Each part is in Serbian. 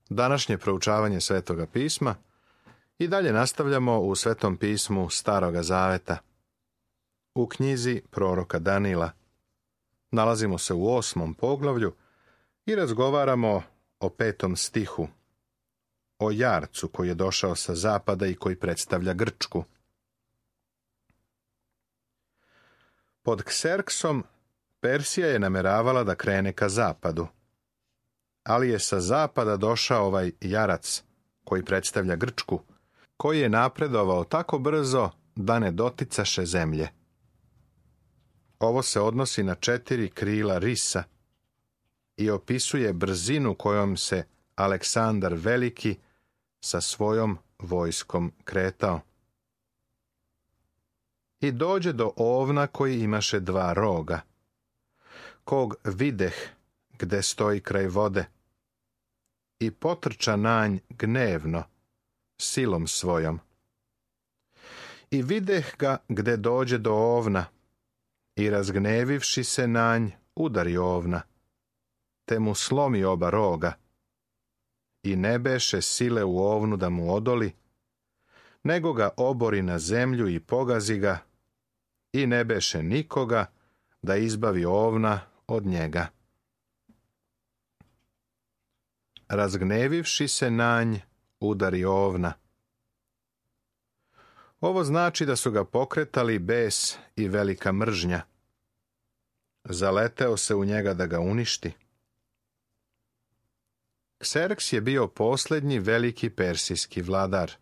Današnje proučavanje Svetoga pisma i dalje nastavljamo u Svetom pismu Staroga Zaveta. U knjizi proroka Danila nalazimo se u 8. poglavlju i razgovaramo o 5. stihu, o jarcu koji je došao sa zapada i koji predstavlja Grčku. Pod Kserksom Persija je nameravala da krene ka zapadu, ali je sa zapada došao ovaj jarac koji predstavlja Grčku, koji je napredovao tako brzo da ne doticaše zemlje. Ovo se odnosi na 4 krila risa i opisuje brzinu kojom se Aleksandar Veliki sa svojom vojskom kretao. I dođe do ovna koji imaše 2 roga, kog videh gde stoji kraj vode, i potrča na nj gnevno, silom svojom. I videh ga gde dođe do ovna, i razgnevivši se na nj, udari ovna, te mu slomi oba roga, i ne beše sile u ovnu da mu odoli, nego ga obori na zemlju i pogazi ga, i ne beše nikoga da izbavi ovna od njega. Razgnevivši se na nj, udari ovna. Ovo znači da su ga pokretali bes i velika mržnja. Zaleteo se u njega da ga uništi. Kserks je bio posljednji veliki persijski vladar.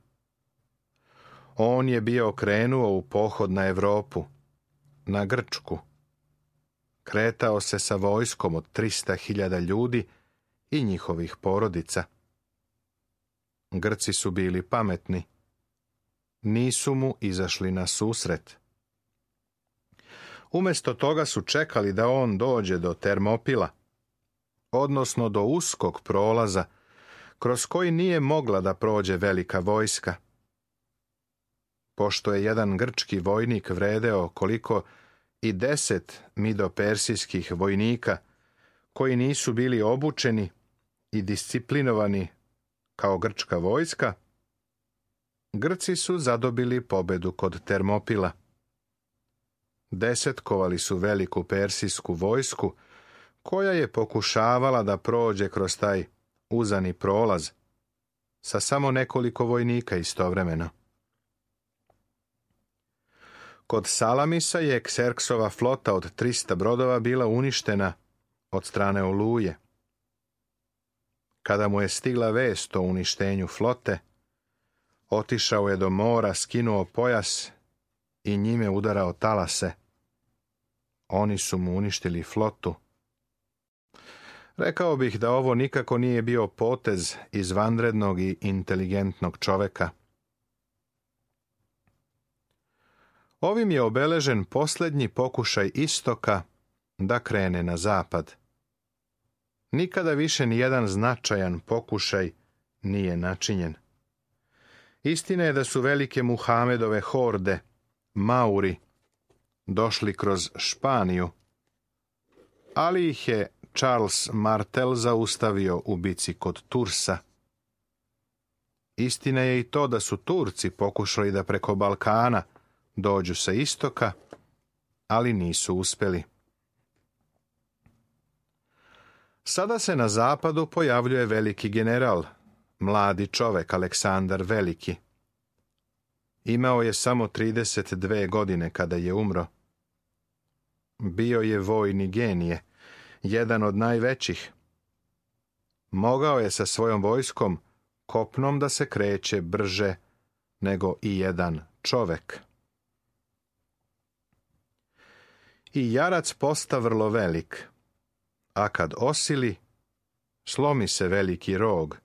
On je bio krenuo u pohod na Evropu, na Grčku. Kretao se sa vojskom od 300.000 ljudi i njihovih porodica. Grci su bili pametni. Nisu mu izašli na susret. Umjesto toga su čekali da on dođe do Termopila, odnosno do uskog prolaza, kroz koji nije mogla da prođe velika vojska. Pošto je jedan grčki vojnik vredeo koliko i 10 midopersijskih vojnika, koji nisu bili obučeni i disciplinovani kao grčka vojska, Grci su zadobili pobedu kod Termopila. Desetkovali su veliku persijsku vojsku, koja je pokušavala da prođe kroz taj uzani prolaz, sa samo nekoliko vojnika istovremeno. Kod Salamisa je Kserksova flota od 300 brodova bila uništena od strane Oluje. Kada mu je stigla vest o uništenju flote, otišao je do mora, skinuo pojas i njime udarao talase. Oni su mu uništili flotu. Rekao bih da ovo nikako nije bio potez izvanrednog i inteligentnog čoveka. Ovim je obeležen posljednji pokušaj istoka da krene na zapad. Nikada više ni jedan značajan pokušaj nije načinjen. Istina je da su velike Muhamedove horde, Mauri, došli kroz Španiju, ali ih je Charles Martel zaustavio u bici kod Tursa. Istina je i to da su Turci pokušali da preko Balkana dođu sa istoka, ali nisu uspjeli. Sada se na zapadu pojavljuje veliki general, mladi čovek Aleksandar Veliki. Imao je samo 32 godine kada je umro. Bio je vojni genije, jedan od najvećih. Mogao je sa svojom vojskom kopnom da se kreće brže nego i jedan čovek. I jarac posta vrlo velik, a kad osili, slomi se veliki rog,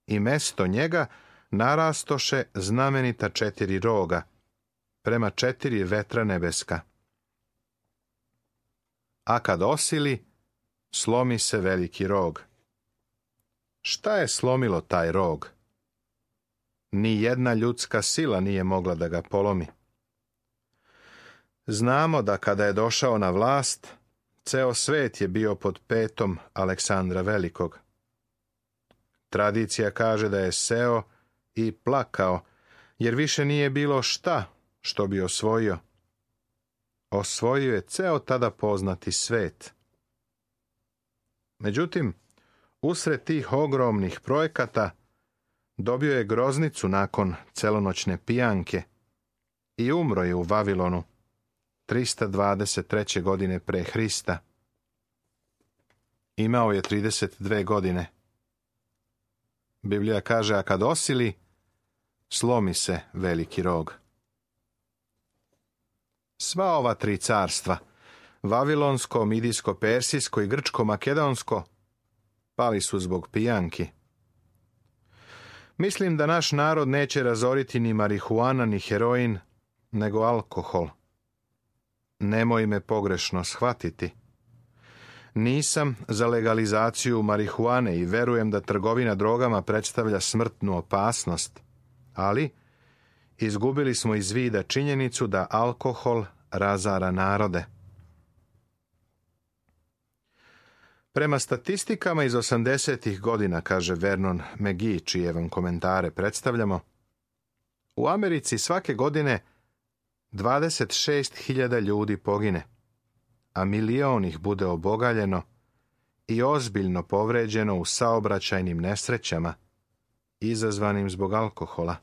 i mesto njega narastoše znamenita 4 roga, prema 4 vetra nebeska. A kad osili, slomi se veliki rog. Šta je slomilo taj rog? Ni jedna ljudska sila nije mogla da ga polomi. Znamo da kada je došao na vlast, ceo svet je bio pod petom Aleksandra Velikog. Tradicija kaže da je seo i plakao, jer više nije bilo šta što bi osvojio. Osvojio je ceo tada poznati svet. Međutim, usred tih ogromnih projekata dobio je groznicu nakon celonoćne pijanke i umro je u Vavilonu 323. godine pre Hrista. Imao je 32 godine. Biblija kaže, a kad osili, slomi se veliki rog. Sva ova tri carstva, Vavilonsko, Midijsko, Persijsko i Grčko, Makedonsko, pali su zbog pijanki. Mislim da naš narod neće razoriti ni marihuana, ni heroin, nego alkohol. Nemoj me pogrešno shvatiti. Nisam za legalizaciju marihuane i verujem da trgovina drogama predstavlja smrtnu opasnost, ali izgubili smo iz vida činjenicu da alkohol razara narode. Prema statistikama iz 80. godina, kaže Vernon McGee, čije vam komentare predstavljamo, u Americi svake godine 26.000 ljudi pogine, a milion ih bude obogaljeno i ozbiljno povređeno u saobraćajnim nesrećama izazvanim zbog alkohola.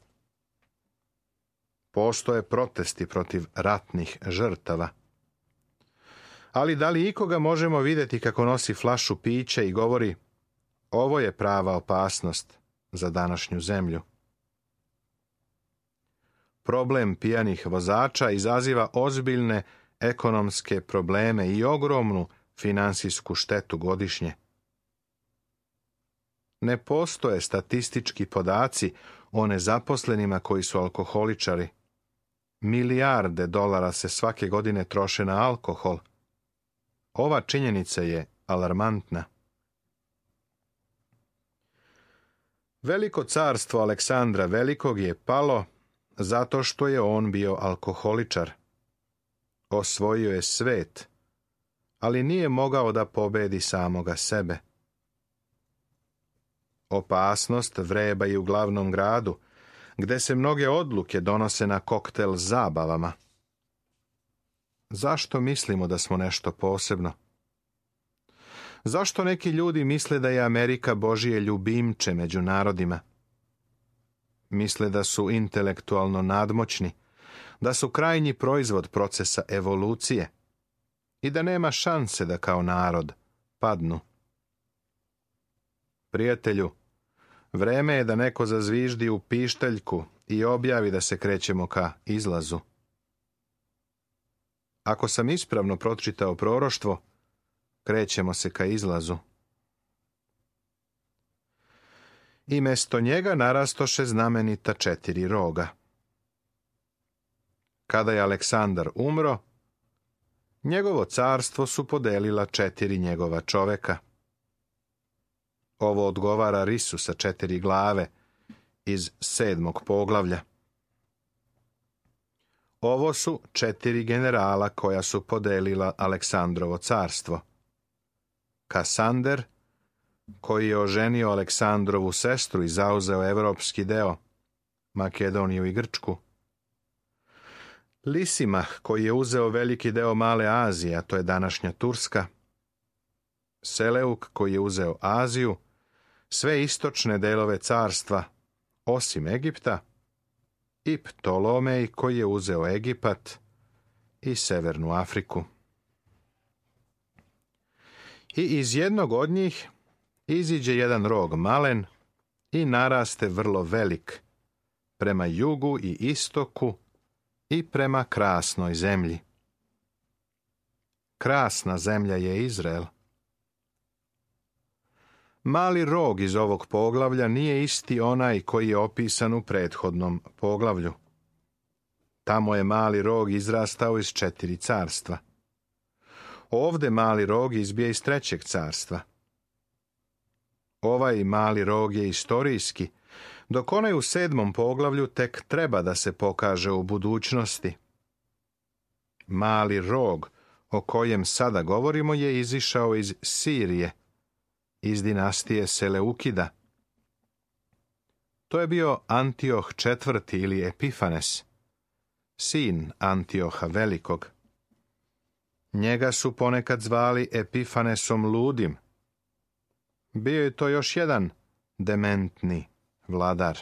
Postoje protesti protiv ratnih žrtava. Ali da li ikoga možemo vidjeti kako nosi flašu pića i govori, ovo je prava opasnost za današnju zemlju? Problem pijanih vozača izaziva ozbiljne ekonomske probleme i ogromnu finansijsku štetu godišnje. Ne postoje statistički podaci o nezaposlenima koji su alkoholičari. Milijarde dolara se svake godine troše na alkohol. Ova činjenica je alarmantna. Veliko carstvo Aleksandra Velikog je palo zato što je on bio alkoholičar. Osvojio je svet, ali nije mogao da pobedi samoga sebe. Opasnost vreba i u glavnom gradu, gde se mnoge odluke donose na koktel zabavama. Zašto mislimo da smo nešto posebno? Zašto neki ljudi misle da je Amerika Božije ljubimče među narodima? Misle da su intelektualno nadmoćni, da su krajnji proizvod procesa evolucije i da nema šanse da kao narod padnu. Prijatelju, vreme je da neko zazviždi u pištaljku i objavi da se krećemo ka izlazu. Ako sam ispravno pročitao proroštvo, krećemo se ka izlazu. I mesto njega narastoše znamenita 4 roga. Kada je Aleksandar umro, njegovo carstvo su podelila 4 njegova čoveka. Ovo odgovara risu sa 4 glave iz 7. poglavlja. Ovo su 4 generala koja su podelila Aleksandrovo carstvo. Kasander, koji je oženio Aleksandrovu sestru i zauzeo evropski deo, Makedoniju i Grčku. Lisimah, koji je uzeo veliki deo Male Azije, a to je današnja Turska. Seleuk, koji je uzeo Aziju, sve istočne delove carstva, osim Egipta, i Ptolomej, koji je uzeo Egipat i severnu Afriku. I iz jednog od njih iziđe jedan rog malen i naraste vrlo velik, prema jugu i istoku i prema krasnoj zemlji. Krasna zemlja je Izrael. Mali rog iz ovog poglavlja nije isti onaj koji je opisan u prethodnom poglavlju. Tamo je mali rog izrastao iz 4 carstva. Ovde mali rog izbija iz 3. carstva. Ovaj mali rog je istorijski, dok onaj u 7. poglavlju tek treba da se pokaže u budućnosti. Mali rog o kojem sada govorimo je izišao iz Sirije, iz dinastije Seleukida, To je bio Antioh IV. Ili Epifanes, sin Antioha Velikog. Njega su ponekad zvali Epifanesom ludim. Bio je to još jedan dementni vladar.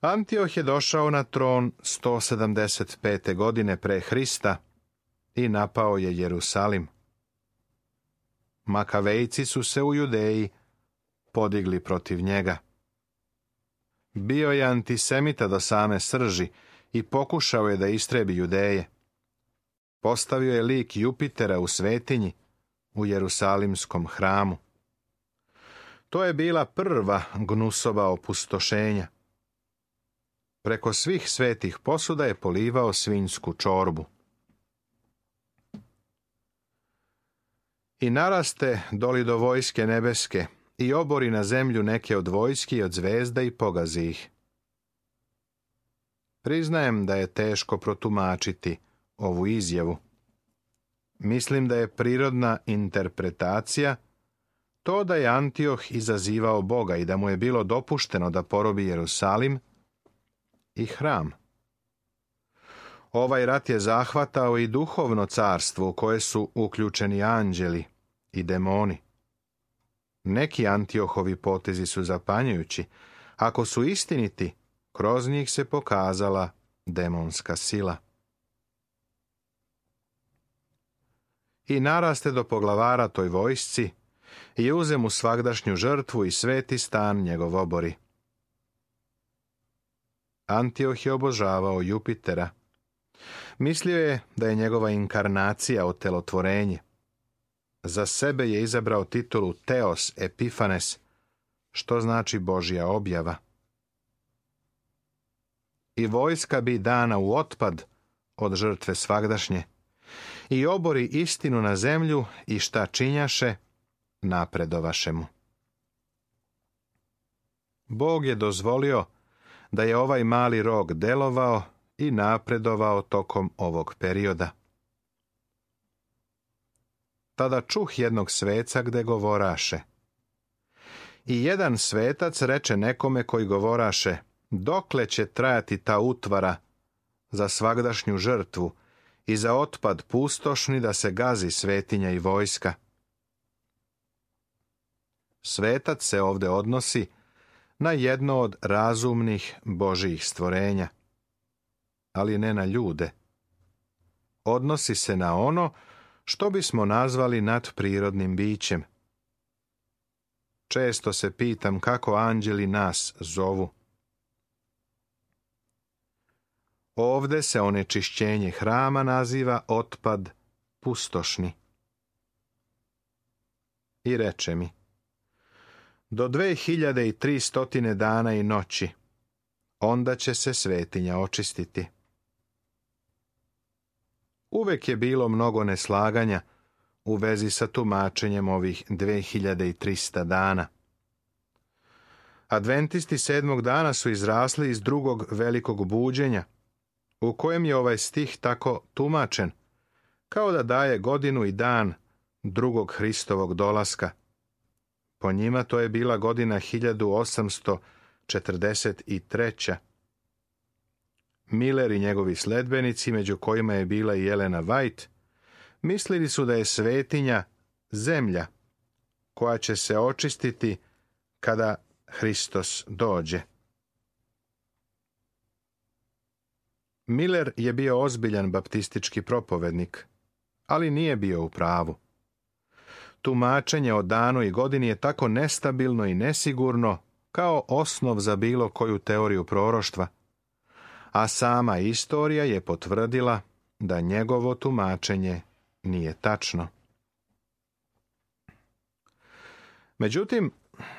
Antioh je došao na tron 175. godine pre Hrista i napao je Jerusalim. Makavejci su se u Judeji podigli protiv njega. Bio je antisemita do same srži i pokušao je da istrebi Judeje. Postavio je lik Jupitera u svetinji u Jerusalimskom hramu. To je bila prva gnusova opustošenja. Preko svih svetih posuda je polivao svinjsku čorbu. I naraste doli do vojske nebeske i obori na zemlju neke od vojski i od zvezda i pogazi ih. Priznajem da je teško protumačiti ovu izjavu. Mislim da je prirodna interpretacija to da je Antioh izazivao Boga i da mu je bilo dopušteno da porobi Jerusalim i hram. Ovaj rat je zahvatao i duhovno carstvo u koje su uključeni anđeli i demoni. Neki Antiohovi potezi su zapanjujući. Ako su istiniti, kroz njih se pokazala demonska sila. I naraste do poglavara toj vojsci i uze mu svagdašnju žrtvu i sveti stan njegov obori. Antioh je obožavao Jupitera. Mislio je da je njegova inkarnacija otelotvorenje. Za sebe je izabrao titulu Teos Epifanes, što znači Božja objava. I vojska bi dana u otpad od žrtve svagdašnje, i obori istinu na zemlju i šta činjaše, napredovaše mu. Bog je dozvolio da je ovaj mali rog delovao i napredovao tokom ovog perioda. Tada čuh jednog sveca gde govoraše. I jedan svetac reče nekome koji govoraše, dokle će trajati ta utvara za svagdašnju žrtvu i za otpad pustošni da se gazi svetinja i vojska. Svetac se ovde odnosi na jedno od razumnih Božijih stvorenja, ali ne na ljude. Odnosi se na ono što bismo nazvali nadprirodnim bićem. Često se pitam kako anđeli nas zovu. Ovde se onečišćenje hrama naziva otpad pustošni. I reče mi, do 2300 dana i noći, onda će se svetinja očistiti. Uvek je bilo mnogo neslaganja u vezi sa tumačenjem ovih 2300 dana. Adventisti 7. dana su izrasli iz drugog velikog buđenja, u kojem je ovaj stih tako tumačen, kao da daje godinu i dan drugog Hristovog dolaska. Po njima to je bila godina 1843. Miller i njegovi sledbenici, među kojima je bila i Elena White, mislili su da je svetinja zemlja koja će se očistiti kada Hristos dođe. Miller je bio ozbiljan baptistički propovednik, ali nije bio u pravu. Tumačenje o danu i godini je tako nestabilno i nesigurno kao osnov za bilo koju teoriju proroštva, a sama istorija je potvrdila da njegovo tumačenje nije tačno. Međutim,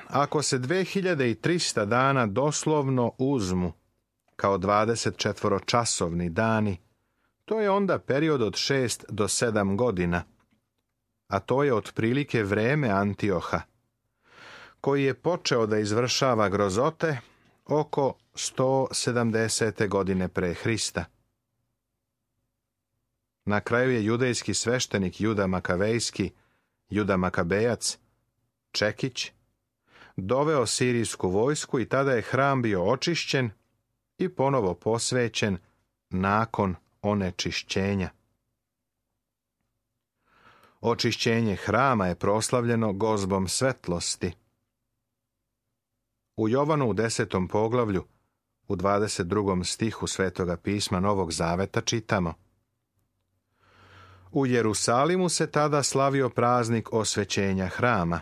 ako se 2300 dana doslovno uzmu kao 24-časovni dani, to je onda period od 6 do 7 godina, a to je otprilike vreme Antioha, koji je počeo da izvršava grozote oko 170. godine pre Hrista. Na kraju je judejski sveštenik Juda Makavejski, Juda Makabejac, Čekić, doveo sirijsku vojsku i tada je hram bio očišćen i ponovo posvećen nakon onečišćenja. Očišćenje hrama je proslavljeno gozbom svetlosti. U Jovanu u 10. poglavlju, u 22. stihu Svetoga pisma Novog Zaveta čitamo: U Jerusalimu se tada slavio praznik osvećenja hrama,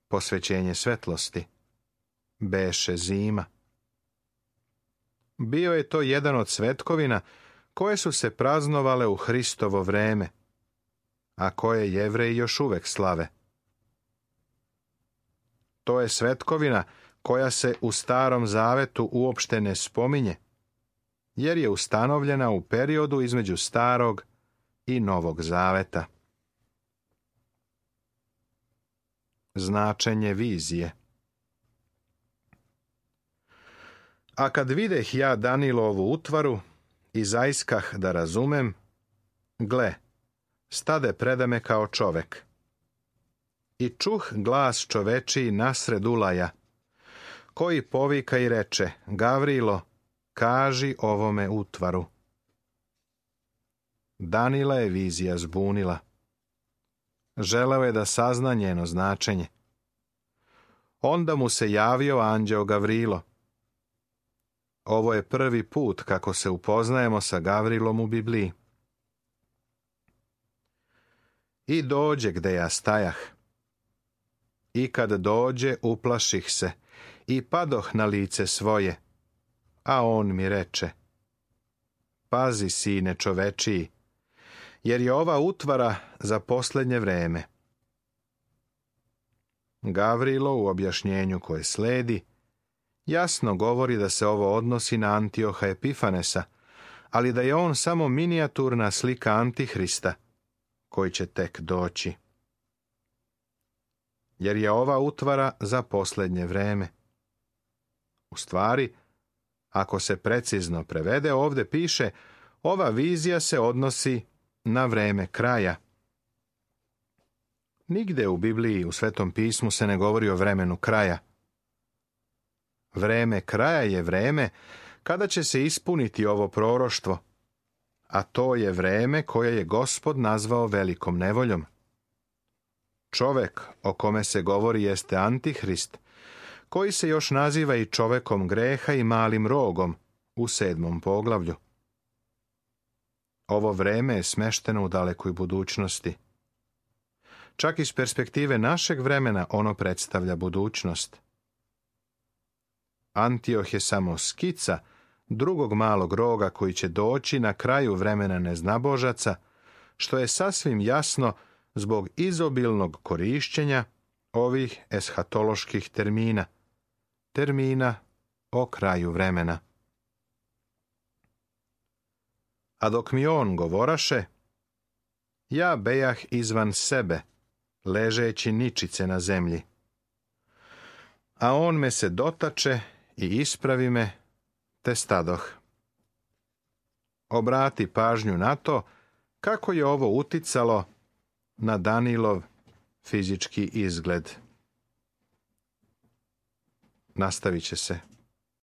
posvećenje svetlosti, beše zima. Bio je to jedan od svetkovina koje su se praznovale u Hristovo vreme, a koje Jevreji još uvek slave. To je svetkovina koja se u Starom Zavetu uopšte ne spominje, jer je ustanovljena u periodu između Starog i Novog Zaveta. Značenje vizije. A kad videh ja Danilovu utvaru i zaiskah da razumem, gle, stade preda me kao čovek. I čuh glas čovečiji nasred ulaja, koji povika i reče: Gavrilo, kaži ovome utvaru. Danila je vizija zbunila. Želeo je da sazna njeno značenje. Onda mu se javio anđeo Gavrilo. Ovo je prvi put kako se upoznajemo sa Gavrilom u Bibliji. I dođe gde ja stajah. I kad dođe, uplaših se i padoh na lice svoje. A on mi reče: Pazi, sine čovečiji, jer je ova utvara za posljednje vreme. Gavrilo u objašnjenju koje sledi jasno govori da se ovo odnosi na Antioha Epifanesa, ali da je on samo minijaturna slika Antihrista, koji će tek doći. Jer je ova utvara za posljednje vreme. U stvari, ako se precizno prevede, ovdje piše: ova vizija se odnosi na vreme kraja. Nigde u Bibliji, u Svetom pismu, se ne govori o vremenu kraja. Vreme kraja je vreme kada će se ispuniti ovo proroštvo, a to je vreme koje je Gospod nazvao velikom nevoljom. Čovek o kome se govori jeste Antihrist, koji se još naziva i čovekom greha i malim rogom u 7. poglavlju. Ovo vreme je smešteno u dalekoj budućnosti. Čak iz perspektive našeg vremena ono predstavlja budućnost. Antioh je samo skica drugog malog roga koji će doći na kraju vremena neznabožaca, što je sasvim jasno zbog izobilnog korišćenja ovih eshatoloških termina, termina o kraju vremena. A dok mi on govoraše, ja bejah izvan sebe, ležeći ničice na zemlji. A on me se dotače i ispravi me, te stadoh. Obrati pažnju na to kako je ovo uticalo na Danilov fizički izgled. Nastavit će se